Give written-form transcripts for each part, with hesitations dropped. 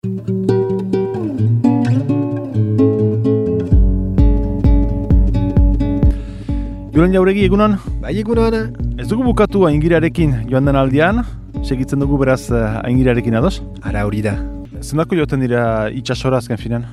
Julen Jauregi, egunon? Bai, egunon. Ez dugu bukatu Aingirarekin joan den aldian, segitzen dugu beraz Aingirarekin ados? Ara hori da. Zendako joaten dira itxasora azken finan?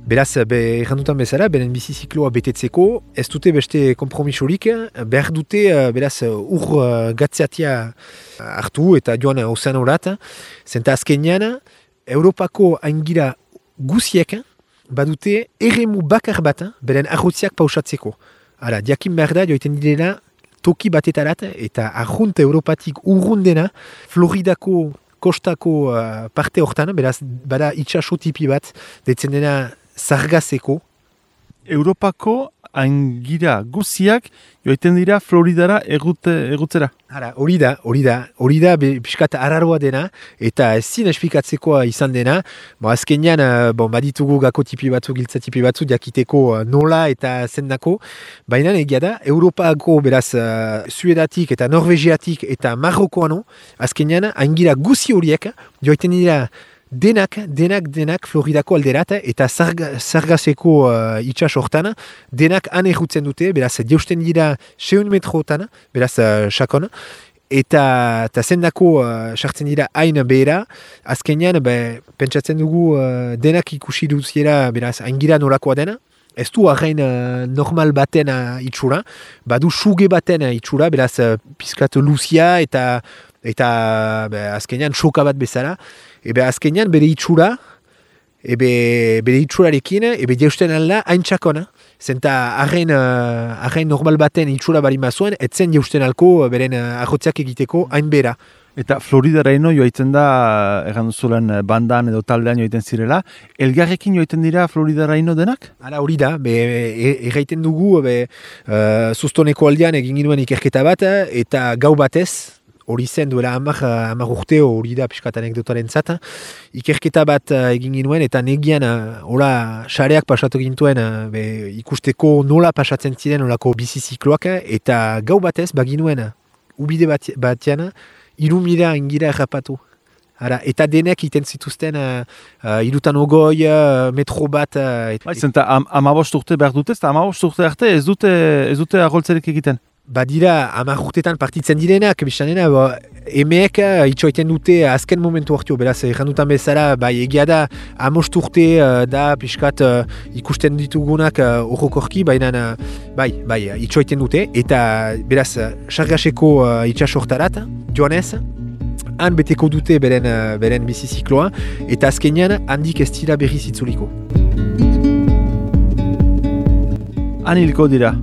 Beraz, errandutan bezala, beren bizizikloa betetzeko, ez dute beste kompromisorik, behar dute beraz ur gatzeatia hartu eta joan ozeanorat, zenta azkenean, Europako aingira guziek badute eremu bakar bat beren arrotziak pausatzeko. Hala, diakin behar da, joiten direna, toki batetarat, eta arrunt Europatik urrundena, Floridako kostako parte hortan, beraz, bada itxaso tipi bat, deitzen dena zargazeko. Europako aingira guziak joiten dira Floridara egutzera. Hala, hori da, pixkat arraroa dena, eta ezin esplikatzekoa izan dena, azkenean, baditugu gako tipi batzu, giltza tipi batzu, jakiteko nola eta zendako, baina egia da, Europako beraz, Suedatik eta Norvegiatik eta Marrokoano, azkenean, aingira guzi horiek, joiten dira, Denak Floridako alderat eta zargazeko itxas hortan, denak han errutzen dute, beraz, jeusten dira 6 metrotan, beraz, sakon, eta zendako sartzen dira hain behera, azkenean, pentsatzen dugu denak ikusi duziera, beraz, aingira nolakoa dena, ez du arrain normal baten itxura, badu suge baten itxura, beraz, pizkat luzia eta azkenean soka bat bezala, azkenean bere itxura, bere itxurarekin, jeusten alda hain txakona. Zenta arrain normal baten itxura barima zuen, etzen jeusten alko beren arrotziak egiteko hain bera. Eta Floridaraino joaitzen da, egan duzulen bandan edo taldean joaiten zirela, elgarrekin joaiten dira Floridaraino denak? Hala hori da, erraiten dugu, zuztoneko aldean egin ginuen ikerketa bat, eta gau batez, hori zen duela 10 urte hori da piskat anekdotaren zata. Ikerketa bat egin ginuen eta negian sareak pasatu gintuen ikusteko nola pasatzen ziren olako bizizikloak eta gau batez baginuen ubide batean 3.000 aingira errapatu. Eta denek iten zituzten 220 metro bat. Zenta 15 urte behar dute, eta 15 urte arte ez dute arroltzerek egiten? Badira, 10 urtetan partitzen direnak, biztanena, emeek itxoiten dute azken momentu hartio, beraz, errandutan bezala, egia da, 15 urte da, pixkat ikusten ditugunak horrokorki, baina, itxoiten dute, eta, beraz, sargaseko itxasortarat, joanez, han beteko dute beren bizizikloa, eta azkenean, handik ez dira berriz itzuliko. Han hilko dira?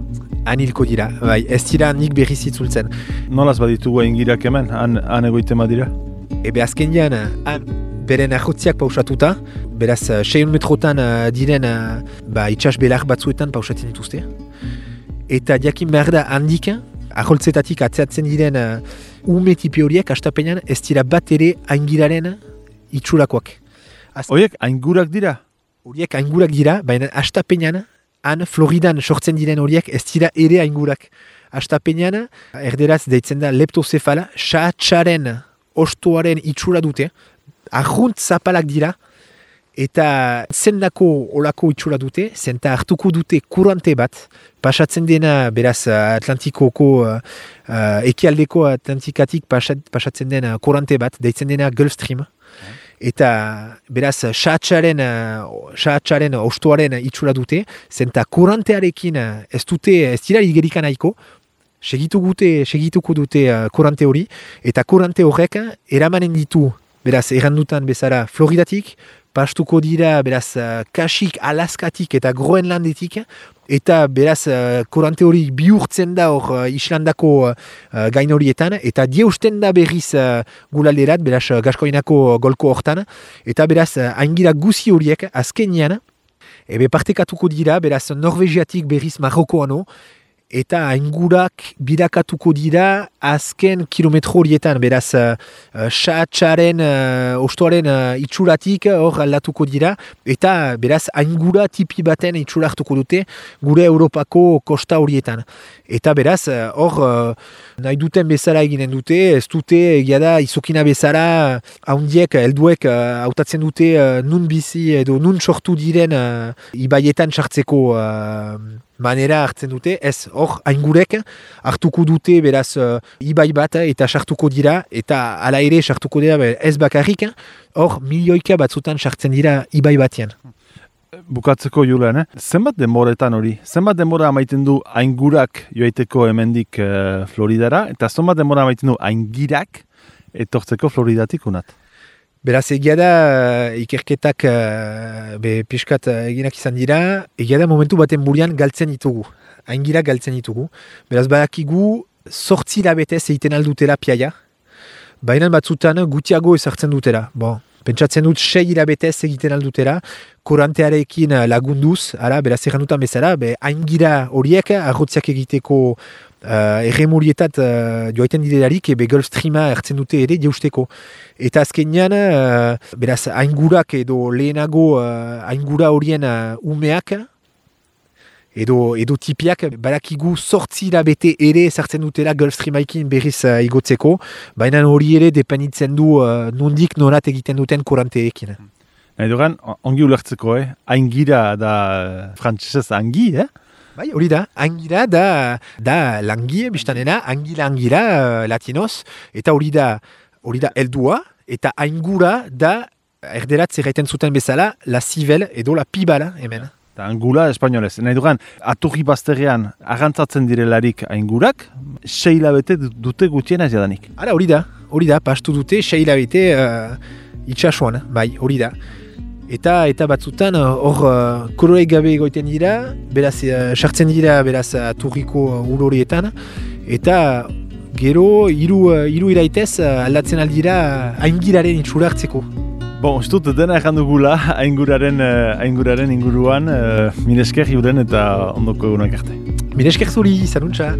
Anilko dira, ez dira nik berriz itzultzen. Nolaz baditugu aingirak hemen, han egoitema dira? Azkenean, beren arrotziak pausatuta, beraz 6 metrotan diren itxas belar batzuetan pausatzen dituzte. Eta jakin behar da handik, arroltzetatik atzeatzen diren ume tipi horiek, astapenean ez dira bat ere aingiraren itxurakoak. Horiek aingurak dira? Horiek aingurak dira, baina astapenean, han Floridan sortzen diren horiek ez dira ere aingurak. Astapenean, erderaz deitzen da leptozefala, sahatsaren ostoaren itxura dute, arrunt zapalak dira, eta zendako olako itxura dute, zenta hartuko dute kurante bat, pasatzen dena, beraz, Atlantikoko, ekialdeko Atlantikatik pasatzen dena kurante bat, deitzen dena Gulf Stream, eta beraz sahatsaren ostoaren itxura dute, zenta kurantearekin ez dira igerikan nahiko, segituko dute kurante hori, eta kurante horrek eramanen ditu, beraz errandutan bezala Floridatik, pastuko dira beraz Kasik, Alaskatik eta Groenlandetik, eta beraz kurante hori bihurtzen da hor Islandako gain horietan, eta dieusten da berriz gulalderat, beraz Gaskoinako golko hortan, eta beraz aingira guzi horiek azkenean, partekatuko dira, beraz Norvegiatik berriz Marrokoano, eta aingurak birakatuko dira azken kilometro horietan, beraz xatxaren, ostoaren itxuratik hor aldatuko dira, eta beraz aingura tipi baten itxura hartuko dute gure Europako kosta horietan. Eta beraz, hor nahi duten bezala eginen dute, ez dute egia da izokina bezala haundiek, helduek hautatzen dute nun bizi edo nun sortu diren ibaietan sartzeko manera hartzen dute, ez hor aingurek hartuko dute beraz ibai bat eta sartuko dira, eta hala ere sartuko dira ez bakarrik, hor milioika batzutan sartzen dira ibai batean. Bukatzeko Julen, zenbat denboretan hori? Zenbat denbora amaiten du aingurak joaiteko hemendik Floridara, eta zenbat denbora amaiten du aingirak etortzeko Floridatik unat? Beraz, egia da ikerketak piskat eginak izan dira, egia da momentu baten burian galtzen ditugu, aingirak galtzen ditugu. Beraz, badakigu 8 hilabetez egiten aldutela piaia, baina batzutan gutiago ezartzen dutela. Bon, pentsatzen dut 6 hilabetez egiten aldutela, korantearekin lagunduz, beraz errandutan bezala, aingira horiek arrotziak egiteko erremurietat joaiten direlarik, Gulf Streama hartzen dute ere jausteko. Eta azkenean, beraz, aingurak edo lehenago aingura horien umeak, edo tipiak, badakigu 8 hilabete ere sartzen dutela Gulf Streamaikin berriz igotzeko, baina hori ere dependitzen du nondik norat egiten duten koranteekin. Nahi dugan, ongi ulertzeko, aingira da frantzesez angi, Bai, hori da, angira da langie, biztanena, angira latinoz, eta hori da heldua, eta aingura da, erderat zerraiten zuten bezala, la zivel edo la pibala, hemen. Eta angula espainolez. Nahi dugan, aturri bazterrean agantzatzen direlarik aingurak, 6 hilabete dute gutiena ez jadanik. Hala, hori da, pastu dute 6 hilabete itxasuan, bai, hori da. Eta batzutan hor koloreik gabe egoiten dira, beraz sartzen dira beraz aturriko urorietan, eta gero hiru iraitez aldatzen aldira aingiraren itxura hartzeko. Bon, ez dut dena erran dugula ainguraren inguruan, mil esker Julen eta ondoko egunak arte. Mil esker zuri, zanuntza!